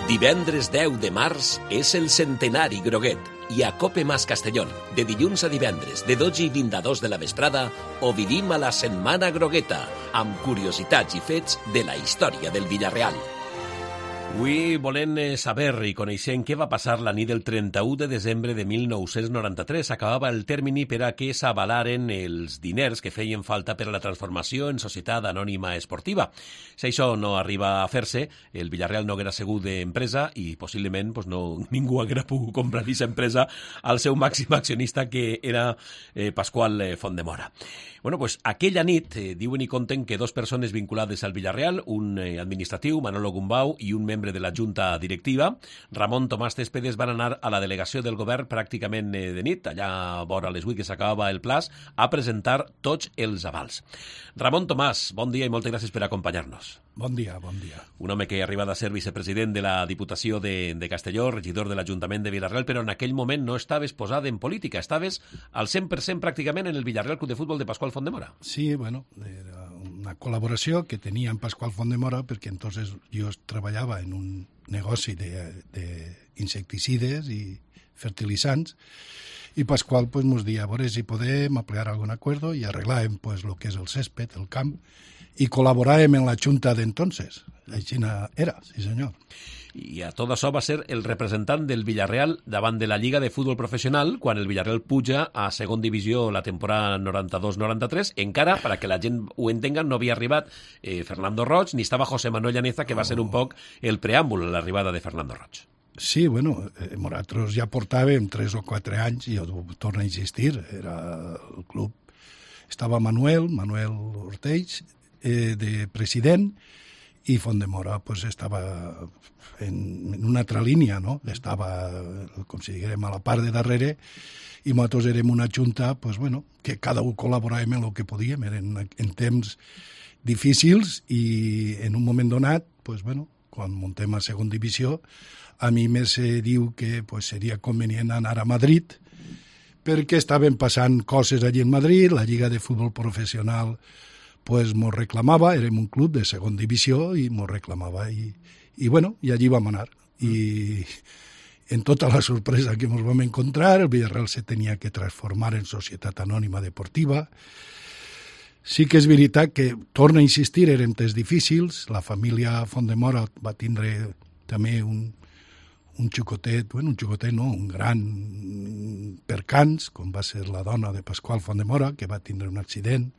Divendres 10 de març és el centenari groguet i a Cope Mas Castellón, de dilluns a divendres, de 12 i 20 a 2 de la vesprada, ho vivim a la Setmana Grogueta, amb curiositats i fets de la història del Villarreal. Avui volem saber i coneixem què va passar la nit del 31 de desembre de 1993. Acabava el termini per a que s'avalaren els diners que feien falta per a la transformació en societat anònima esportiva. Si això no arriba a fer-se, el Villarreal no haguera sigut d'empresa i possiblement ningú haguera pogut comprar aquesta empresa al seu màxim accionista, que era Pasqual Fondemora. Bueno, pues aquella nit diuen i conten que dos persones vinculades al Villarreal, un administratiu, Manolo Gumbau, i un membre de la Junta Directiva, Ramon Tomàs Céspedes, van anar a la delegació del govern pràcticament de nit, allà vora les 8 que s'acabava el plaç, a presentar tots els avals. Ramon Tomàs, bon dia i moltes gràcies per acompanyar-nos. Bon dia, bon dia. Un home que ha arribat a ser vicepresident de la Diputació de Castelló, regidor de l'Ajuntament de Villarreal, però en aquell moment no estaves posat en política, estaves al 100% pràcticament en el Villarreal Club de Futbol de Pasqual Fondemora. Sí, bueno, era una col·laboració que tenia amb Pasqual Fondemora, perquè entonces jo treballava en un negoci d'insecticides i fertilitzants, i Pasqual pues, nos dia a veure si podem aplicar algun acuerdo i arreglàvem pues, lo que és el césped, el camp, i col·laboràvem en la Junta d'entonces. Així era, sí senyor. I a tot això va ser el representant del Villarreal davant de la Lliga de Futbol Professional quan el Villarreal puja a segon divisió la temporada 92-93. Encara, per a que la gent ho entenga, no havia arribat Fernando Roig, ni estava José Manuel Llaneza, que va ser un poc el preàmbul a l'arribada de Fernando Roig. Sí, bueno, nosaltres ja portàvem 3 o 4 anys, i jo torno a insistir, era el club. Estava Manuel Ortells, de president, i Fondemora pues, estava en una altra línia, no? Estava, com si diguem, a la part de darrere, i nosaltres érem una junta pues, bueno, que cada un col·laboràvem en el que podíem, eren en temps difícils, i en un moment donat, pues, bueno, quan muntem a segon divisió, a mi me se diu que pues, seria convenient anar a Madrid, perquè estaven passant coses allí en Madrid, la Lliga de Futbol Professional pues mos reclamava, érem un club de segon divisió i mos reclamava i bueno, i allí vam anar. I en tota la sorpresa que mos vam encontrar, el Villarreal se tenia que transformar en societat anònima deportiva. Sí que és veritat que, torna a insistir, eren temps difícils, la família Fondemora va tindre també un xicotet, bueno, un xicotet no, un gran percans, com va ser la dona de Pasqual Fondemora, que va tindre un accident,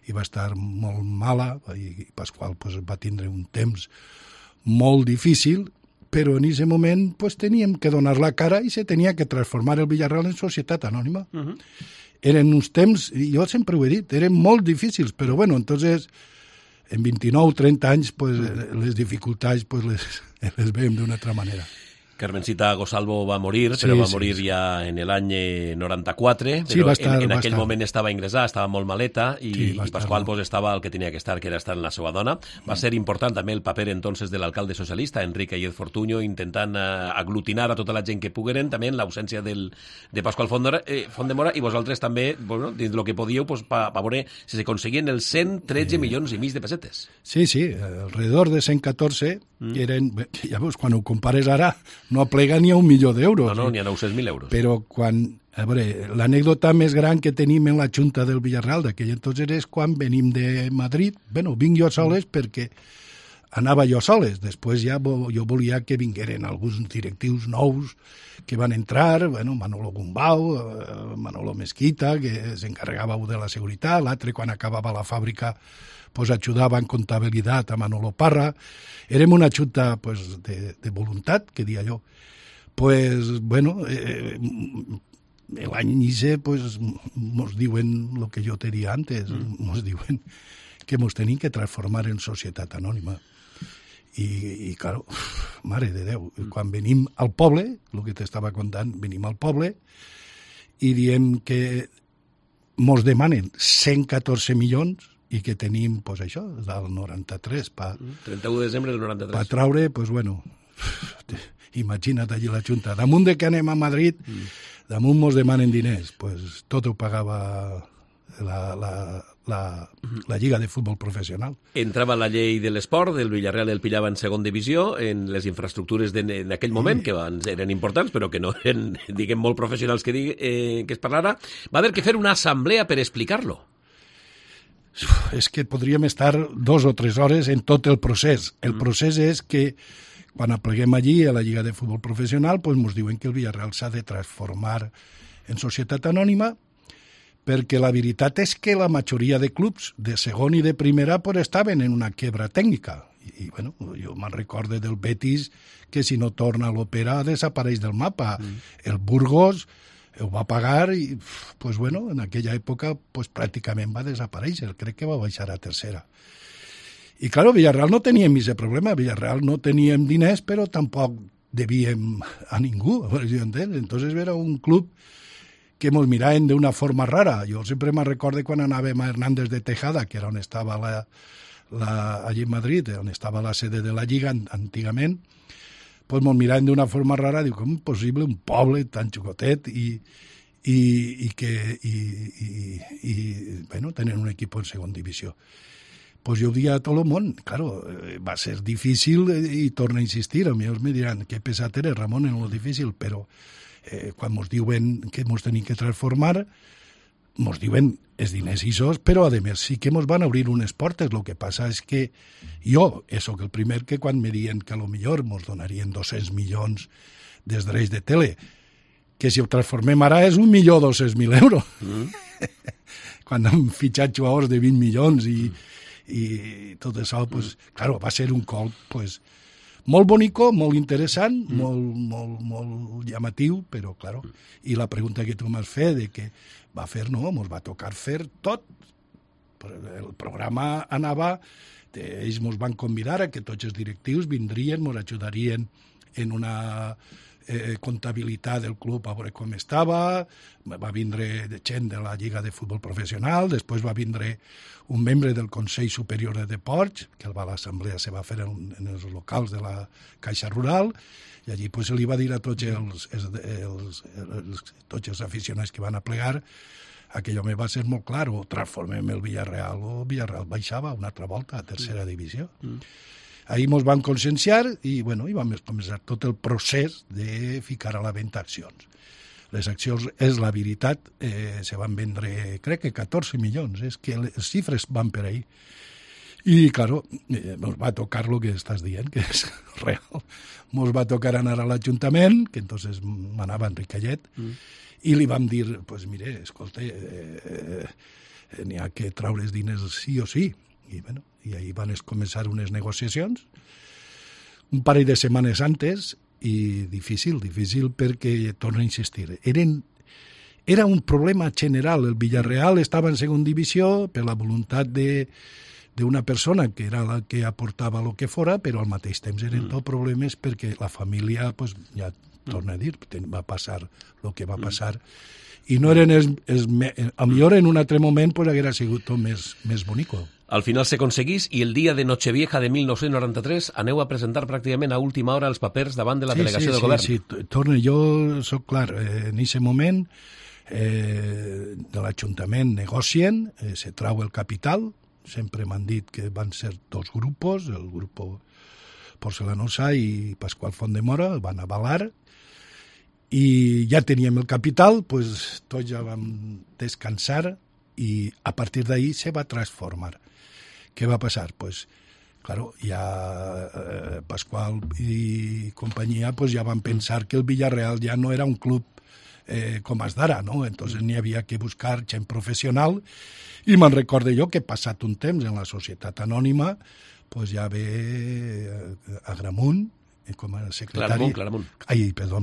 i va estar molt mala, i Pasqual pues, va tindre un temps molt difícil, però en aquest moment pues, teníem que donar la cara i se tenia que transformar el Villarreal en societat anònima. Eren uns temps, i jo sempre ho he dit, eren molt difícils, però bueno, entonces, en 29-30 anys, pues, les dificultats pues, les veiem d'una altra manera. Carmencita Gosalvo va morir, però va morir ja en l'any 94, sí, però estar, en aquell moment estava ingressada, estava molt maleta, i Pasqual pues, estava el que tenia que era estar en la seva dona. Va ser important també el paper entonces de l'alcalde socialista, Enrique Ayez Fortuño, intentant aglutinar a tota la gent que pogueren, també en l'ausència de Pasqual Fondemora, i vosaltres també, bueno, dins del que podíeu, pues, per veure si s'aconseguien els 113 milions i mig de pessetes. Sí, alrededor de 114, eren, ja veus, quan ho compares ara, no aplega ni a 1 milió d'euros. No, ni a 900.000 euros. Però quan, a veure, l'anècdota més gran que tenim en la Junta del Villarreal d'aquell entonces és quan venim de Madrid. Bueno, vinc jo soles perquè anava jo soles. Després ja jo volia que vingueren alguns directius nous que van entrar, bueno, Manolo Gumbau, Manolo Mesquita, que s'encarregava de la seguretat, l'altre quan acabava la fàbrica pues ajudava en comptabilitat a Manolo Parra. Érem una junta pues, de voluntat, que dia jo. Pues, bueno, l'any inici pues, mos diuen el que jo te dia antes, mos diuen que mos tenim que transformar en societat anònima. I claro, mare de Déu, quan venim al poble, el que t'estava contant, venim al poble i diem que mos demanen 114 milions i que tenim, pues això, del 93. 31 de desembre del 93. Per traure, pues bueno, imagina't allí la Junta. Damunt de que anem a Madrid, damunt mos demanen diners. Pues tot ho pagava la Lliga de Futbol Professional. Entrava la llei de l'esport, el Villarreal el pillava en segona divisió, en les infraestructures en aquell moment, que abans eren importants, però que no eren, diguem, molt professionals que es parlara. Va haver que fer una assemblea per explicar-lo. És que podríem estar 2 o 3 hores en tot el procés. El procés és que quan apleguem allí a la Lliga de Futbol Professional, doncs ens diuen que el Villarreal s'ha de transformar en societat anònima, perquè la veritat és que la majoria de clubs de segon i de primera pues, estaven en una quebra tècnica. I bueno, jo me'n recorde del Betis que si no torna a l'Òpera desapareix del mapa. El Burgos ho va pagar i pues, bueno, en aquella època pues, pràcticament va desaparèixer. Crec que va baixar a tercera. I, claro, Villarreal no teníem aquest problema. Villarreal no teníem diners, però tampoc devíem a ningú. Entonces era un club que ens miraven d'una forma rara. Jo sempre me recordo quan anàvem a Hernández de Tejada, que era on estava allí en Madrid, on estava la sede de la Lliga antigament, pues ens miraven d'una forma rara. Diu, com és possible un poble tan xucotet i bueno, tenen un equip en segona divisió. Pues jo ho dia a tot el món, claro, va ser difícil i torno a insistir, a mi me diran que pesat eres, Ramon, en lo difícil, però quan ens diuen que ens tenim que transformar, ens diuen els diners ixos, però a més sí que ens van obrir unes portes. El que passa és que jo soc el primer que quan me diuen que a lo millor ens donarien 200 milions dels drets de tele, que si ho transformem ara és 1.200.000 euros. Quan hem fitxat jugadors de 20 milions i tot això, pues, claro, va ser un colp pues, molt bonico, molt interessant, molt llamatiu, però, claro, i la pregunta que tu m'has fet de que va fer, no, ens va tocar fer tot. El programa anava, ells ens van convidar a que tots els directius vindrien, ens ajudarien en una comptabilitat del club a veure com estava, va vindre gent de la Lliga de Futbol Professional, després va vindre un membre del Consell Superior de Deports, que l'assemblea se va fer en els locals de la Caixa Rural, i allí pues, se li va dir a tots els aficionats que van a plegar que allò me va ser molt clar, o transformem el Villarreal, o Villarreal baixava una altra volta a tercera divisió. Ahí ens van conscienciar i bueno, vam començar tot el procés de ficar a la venda accions. Les accions, és la veritat, se van vendre, crec que 14 milions, és que les xifres van per ahí. I, claro, ens va tocar el que estàs dient, que és real. Ens va tocar anar a l'Ajuntament, que entonces manava en Ricallet, i li vam dir, pues mire, escolta, n'hi ha que traure els diners sí o sí. I, bueno, i ahí van començar unes negociacions, un parell de setmanes antes, i difícil perquè, torno a insistir, era un problema general. El Villarreal estava en segona divisió per la voluntat d'una persona que era la que aportava el que fora, però al mateix temps eren tot problemes perquè la família, pues, ja torno a dir, va passar el que va passar, i no eren a millor en un altre moment pues, haguera sigut tot més bonico. Al final se conseguís i el dia de Nochevieja de 1993 aneu a presentar pràcticament a última hora els papers davant de la delegació de govern. Sí, torno, jo soc clar, en aquest moment de l'Ajuntament negocien, se trau el capital, sempre m'han dit que van ser 2 grupos, el grup Porcelanosa i Pasqual Fondemora, el van avalar, i ja teníem el capital, pues, tots ja vam descansar i a partir d'ahí se va transformar. Què va passar? Pues, claro, ja Pasqual i companyia pues, ja van pensar que el Villarreal ja no era un club com és d'ara, no? Entonces n'hi havia que buscar gent professional i me'n recordo jo que passat un temps en la societat anònima pues, ja ve Agramunt com a secretari... Claramunt. Ai, perdó,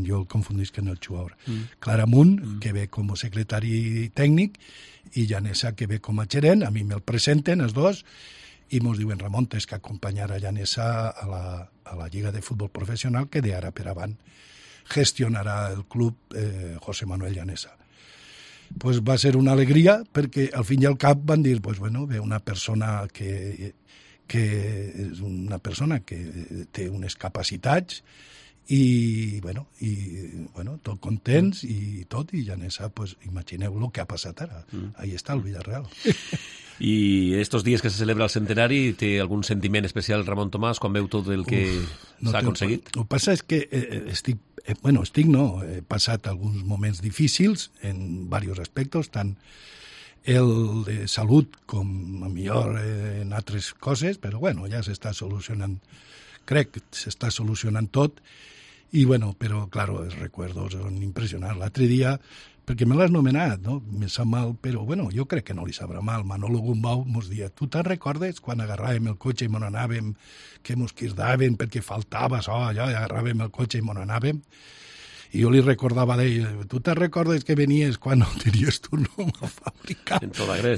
jo el confundisc en el jugador. Claramunt, que ve com a secretari tècnic, i Llanesa, que ve com a gerent. A mi me'l presenten, els dos, i ens diuen, Ramon, tens que acompanyar a Llanesa a la Lliga de Futbol Professional, que d'ara per avant gestionarà el club José Manuel Llanesa. Pues va ser una alegria, perquè al fin i al cap van dir, pues bueno, ve una persona que és una persona que té unes capacitats i tot contents i tot, i Llanesa, pues, imagineu el que ha passat ara. Ahí està el Villarreal. I estos dies que se celebra el centenari, té algun sentiment especial Ramon Tomàs quan veu tot el que s'ha aconseguit? El que passa és que he passat alguns moments difícils en diversos aspectes, tant el de salut com a millor en altres coses, però ja s'està solucionant, crec que s'està solucionant tot, i però, claro, els recuerdos són impressionants. L'altre dia, perquè me l'has nomenat, no? Me sap mal, però, jo crec que no li sabrà mal. Manolo Gumbau mos dia, tu te'n recordes quan agarràvem el cotxe i mos anàvem, que mos quirdaven perquè faltava això, allò, i agarràvem el cotxe i mos anàvem? I jo li recordava d'ell, tu te'n recordes que venies quan no tenies tu nom a fabricar?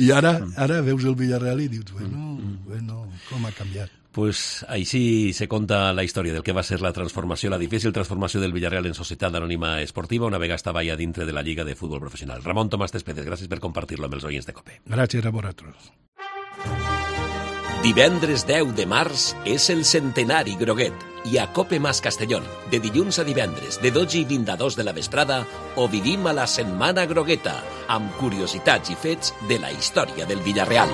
I ara veus el Villarreal i dius, com ha canviat. Pues així se conta la història del que va ser la transformació, la difícil transformació del Villarreal en Societat Anònima Esportiva, una vegada estava ja dintre de la Lliga de Futbol Professional. Ramon Tomàs Céspedes, gràcies per compartir-lo amb els oients de COPE. Gràcies a vosaltres. Divendres 10 de març és el centenari Groguet i a COPE Mas Castellón, de dilluns a divendres, de 12:20 a 2 de la vesprada, ho vivim a la Setmana Grogueta, amb curiositats i fets de la història del Villarreal.